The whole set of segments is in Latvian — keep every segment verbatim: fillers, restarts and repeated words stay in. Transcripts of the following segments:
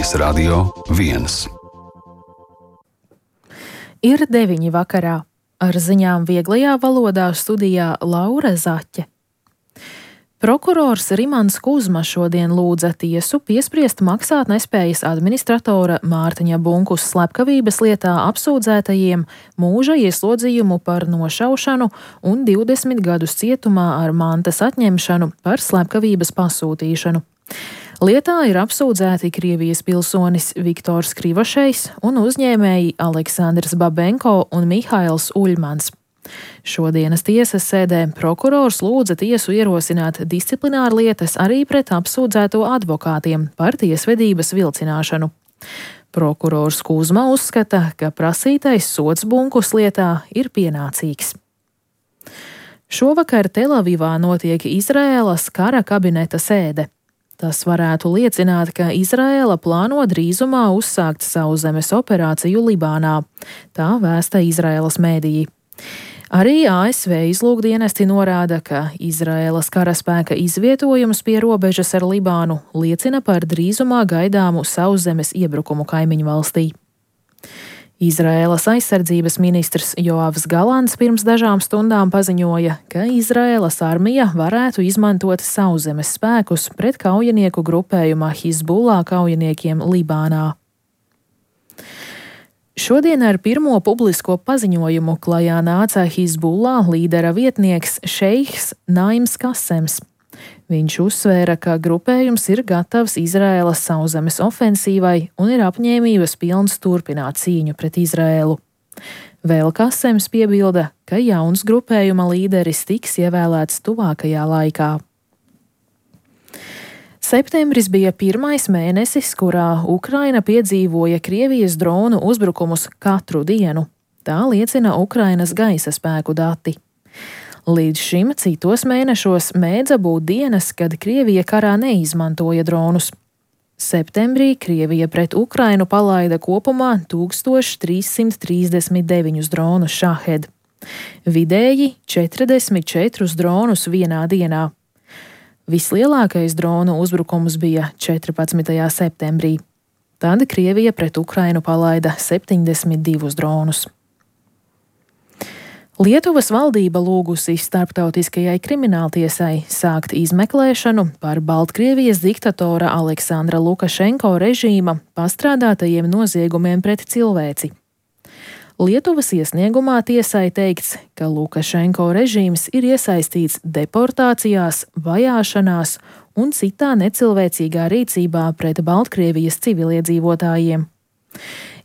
Radio viens. Ir deviņi vakarā. Ar ziņām vieglajā valodā studijā Laura Zaķe. Prokurors Rimants Kuzma šodien lūdza tiesu piespriest maksātnespējas administratora Mārtiņa Bunkus slepkavības lietā apsūdzētajiem mūža ieslodzījumu par nošaušanu un divdesmit gadus cietumā ar mantas atņemšanu par slepkavības pasūtīšanu. Lietā ir apsūdzēti Krievijas pilsonis Viktors Krivošejs un uzņēmēji Aleksandrs Babenko un Mihails Uļmans. Šodienas tiesas sēdē prokurors lūdza tiesu ierosināt disciplinārlietas arī pret apsūdzēto advokātiem par tiesvedības vilcināšanu. Prokurors Kuzma uzskata, ka prasītais sods Bunkus lietā ir pienācīgs. Šovakar Telavivā notiek Izraēlas kara kabineta sēde. Tas varētu liecināt, ka Izraēla plāno drīzumā uzsākt sauszemes operāciju Libānā. Tā vēsta Izraēlas mēdīji. Arī A S V izlūkdienesti norāda, ka Izraēlas karaspēka izvietojums pie robežas ar Libānu liecina par drīzumā gaidāmu sauszemes iebrukumu kaimiņu valstī. Izraēlas aizsardzības ministrs Joavs Galants pirms dažām stundām paziņoja, ka Izraēlas armija varētu izmantot sauszemes spēkus pret kaujinieku grupējuma Hizbullah kaujiniekiem Libānā. Šodien ar pirmo publisko paziņojumu klajā nāca Hizbullah līdera vietnieks Šeiks Naims Kasems. Viņš uzsvēra, ka grupējums ir gatavs Izraēlas sauszemes ofensīvai un ir apņēmības pilns turpināt cīņu pret Izraēlu. Vēl Kasems piebilda, ka jauns grupējuma līderis tiks ievēlēts tuvākajā laikā. Septembris bija pirmais mēnesis, kurā Ukraina piedzīvoja Krievijas dronu uzbrukumus katru dienu. Tā liecina Ukrainas gaisa spēku dati. Līdz šim citos mēnešos mēdza būt dienas, kad Krievija karā neizmantoja dronus. Septembrī Krievija pret Ukrainu palaida kopumā tūkstoš trīs simt trīsdesmit deviņus dronus Šahed. Vidēji četrdesmit četrus dronus vienā dienā. Vislielākais dronu uzbrukums bija četrpadsmitajā septembrī. Tad Krievija pret Ukrainu palaida septiņdesmit divus dronus. Lietuvas valdība lūgusi starptautiskajai krimināltiesai sākt izmeklēšanu par Baltkrievijas diktatora Aleksandra Lukašenko režīma pastrādātajiem noziegumiem pret cilvēci. Lietuvas iesniegumā tiesai teikts, ka Lukašenko režīms ir iesaistīts deportācijās, vajāšanās un citā necilvēcīgā rīcībā pret Baltkrievijas civiliedzīvotājiem.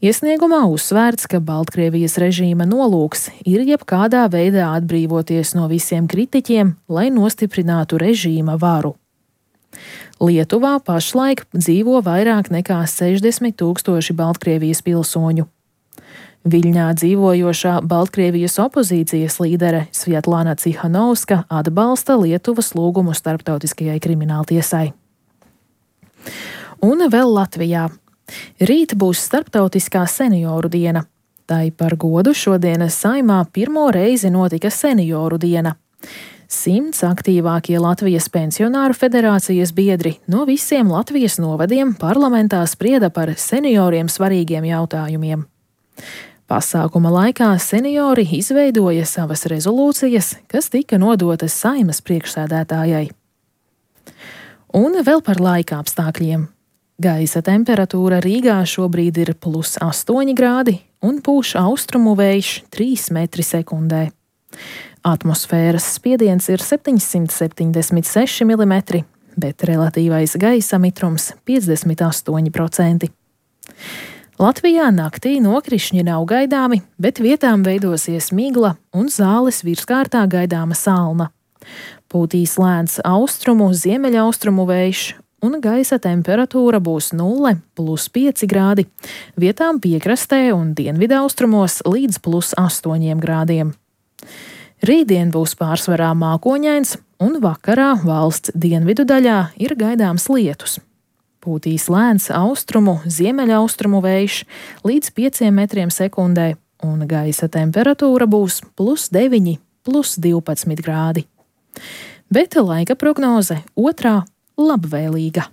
Iesniegumā uzsvērts, ka Baltkrievijas režīma nolūks ir jebkādā veidā atbrīvoties no visiem kritiķiem, lai nostiprinātu režīma varu. Lietuvā pašlaik dzīvo vairāk nekā sešdesmit tūkstoši Baltkrievijas pilsoņu. Viļņā dzīvojošā Baltkrievijas opozīcijas līdere Svjatlana Cihanovska atbalsta Lietuvas lūgumu starptautiskajai krimināltiesai. Un vēl Latvijā. Rīt būs starptautiskā senioru diena. Tai par godu šodienas Saeimā pirmo reizi notika senioru diena. Simts aktīvākie Latvijas pensionāru federācijas biedri no visiem Latvijas novadiem parlamentā sprieda par senioriem svarīgiem jautājumiem. Pasākuma laikā seniori izveidoja savas rezolūcijas, kas tika nodotas Saeimas priekšsēdētājai. Un vēl par laika apstākļiem. Gaisa temperatūra Rīgā šobrīd ir plus astoņi grādi un pūš austrumu vējš trīs metri sekundē. Atmosfēras spiediens ir septiņsimt septiņdesmit seši milimetri, bet relatīvais gaisa mitrums piecdesmit astoņi procenti. Latvijā naktī nokrišņi nav gaidāmi, bet vietām veidosies migla un zāles virskārtā gaidāma salna. Pūtīs lēns austrumu, ziemeļaustrumu vējš, un gaisa temperatūra būs nulle plus pieci grādi, vietām piekrastē un dienvidaustrumos līdz plus astoņiem grādiem. Rītdien būs pārsvarā mākoņains, un vakarā valsts dienvidu daļā ir gaidāms lietus. Pūtīs lēns austrumu, ziemeļaustrumu vējš līdz pieciem metriem sekundē, un gaisa temperatūra būs plus deviņi, plus divpadsmit grādi. Bet laika prognoze otrā labvēlīga.